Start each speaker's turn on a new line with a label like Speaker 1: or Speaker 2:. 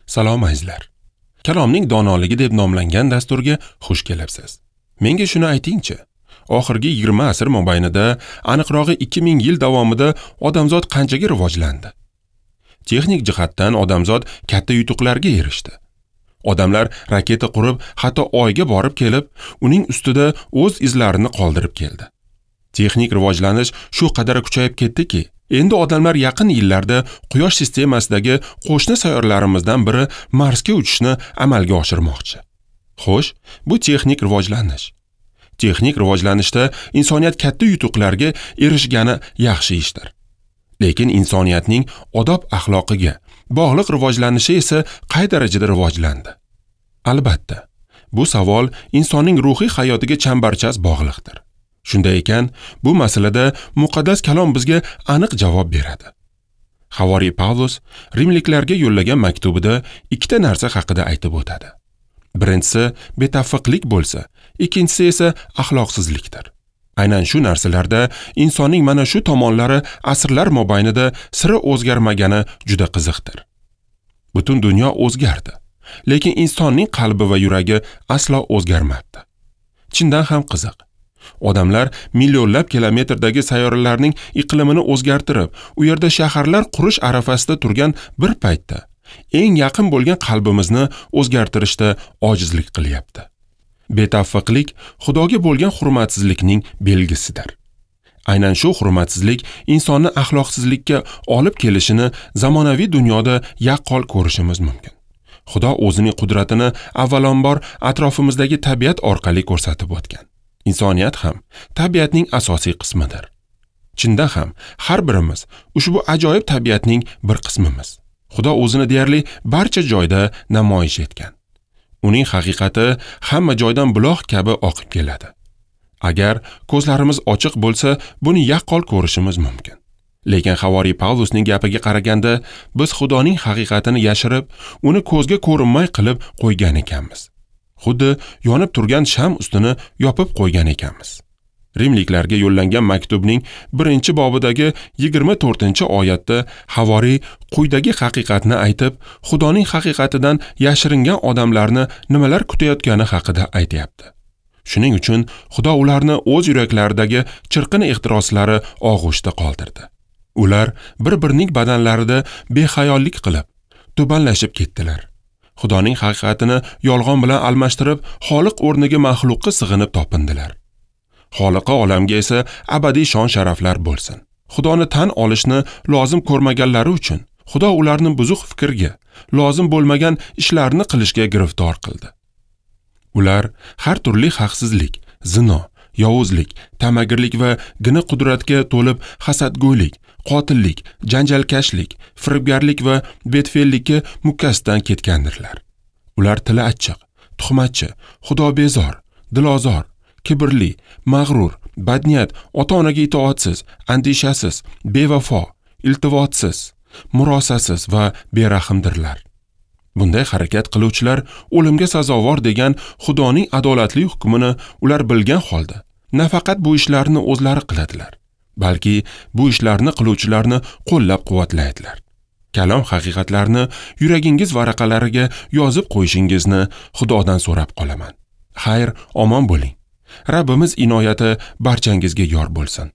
Speaker 1: Salom azizlar. Kalomning donoligi deb nomlangan dasturga xush kelibsiz. Menga shuni aytingchi, oxirgi 20 asr mobaynida, aniqrog'i 2000 yil davomida odamzod qanchaga rivojlandi? Texnik jihatdan odamzod katta yutuqlarga erishdi. Odamlar raketa qurib, hatto Oyga borib kelib, uning ustida o'z izlarini qoldirib keldi. Texnik rivojlanish shu qadar kuchayib ketdiki, endi odamlar yaqin yillarda Quyosh sistemasidagi qo'shni sayyoralarimizdan biri Marsga uchishni amalga oshirmoqchi. Xo'sh, bu texnik rivojlanish. Texnik rivojlanishda insoniyat katta yutuqlarga erishgani yaxshi ishdir. Lekin insoniyatning odob-axloqiga bog'liq rivojlanishi esa qay darajada rivojlandi? Albatta, bu savol insonning ruhiy hayotiga chambarchas bog'liqdir. Shunday ekan, bu masalada muqaddas kalom bizga aniq javob beradi. Havoriy Pavlus rimliklarga yo'llagan maktubida ikkita narsa haqida aytib o'tadi. Birinchisi betavfiqlik bo'lsa, ikkinchisi esa axloqsizlikdir. Aynan shu narsalarda insonning mana shu tomonlari asrlar mobaynida sira o'zgarmagani juda qiziqdir. Butun dunyo o'zgardi, lekin insonning qalbi va yuragi aslo o'zgarmabdi. Chindan ham qiziq. Odamlar millionlab kilometrdagi sayyoralarning iqlimini o'zgartirib, u yerda shaharlar qurish arafasida turgan bir paytda eng yaqin bo'lgan qalbimizni o'zgartirishda ojizlik qilyapti. Betavfiqlik Xudoga bo'lgan hurmatsizlikning belgisidir. Aynan shu hurmatsizlik insonni axloqsizlikka olib kelishini zamonaviy dunyoda yaqqol ko'rishimiz mumkin. Xudo o'zining qudratini avvalambor atrofimizdagi tabiat orqali ko'rsatib o'tgan. Insoniyat ham tabiatning asosiy qismidir. Chindan ham har birimiz ushbu ajoyib tabiatning bir qismimiz. Xudo o'zini deyarli barcha joyda namoyish etgan. Uning haqiqati hamma joydan buloq kabi oqib keladi. Agar ko'zlarimiz ochiq bo'lsa, buni yaqqol ko'rishimiz mumkin. Lekin Havoriy Pavlusning gapiga qaraganda, biz Xudoning haqiqatini yashirib, uni ko'zga ko'rinmay qilib qo'ygan ekanmiz. Xuddi yonib turgan sham ustini yopib qo'ygan ekanmiz. Rimliklarga yo'llangan maktubning 1-bobidagi 24-oyatda Havoriy quyidagi haqiqatni aytib, Xudoning haqiqatidan yashiringan odamlarni nimalar kutayotgani haqida aytayapti. Shuning uchun Xudo ularni o'z yuraklaridagi chirqin ehtiroslari og'ushda qoldirdi. Ular bir-birining badanlarida behayollik qilib, tubanlashib ketdilar. Xudoning haqiqatini yolg'on bilan almashtirib, Xoliq o'rniga maxluqqa sig'inib topindilar. Xoliqi olamga esa abadiy shon-sharaflar bo'lsin. Xudoni tan olishni lozim ko'rmaganlari uchun Xudo ularni buzuq fikrga, lozim bo'lmagan ishlarni qilishga giriftor qildi. Ular har turli haqsizlik, zino, yovuzlik, tamagirlik va gina qudratga to'lib hasadgo'ylik, qotillik, janjalkashlik, firibgarlik va betfellikka mukkasidan ketgandirlar. Ular tili achchiq, tuhmatchi, xudobezor, dilozor, kibrli, mag'rur, badniyat, ota-onaga itoatsiz, andishasiz, bevafo, iltivotsiz, murosasiz va berahmdirlar. Bunday harakat qiluvchilar o'limga sazovor degan Xudoning adolatli hukmini ular bilgan holda nafaqat bu ishlarni o'zlari qiladilar, balki bu ishlarni qiluvchilarni qo'llab-quvvatlaydilar. Kalom haqiqatlarini yuragingiz varaqalariga yozib qo'yishingizni Xudodan so'rab qolaman. Xayr, omon bo'ling. Rabbimiz inoyati barchangizga yor bo'lsin.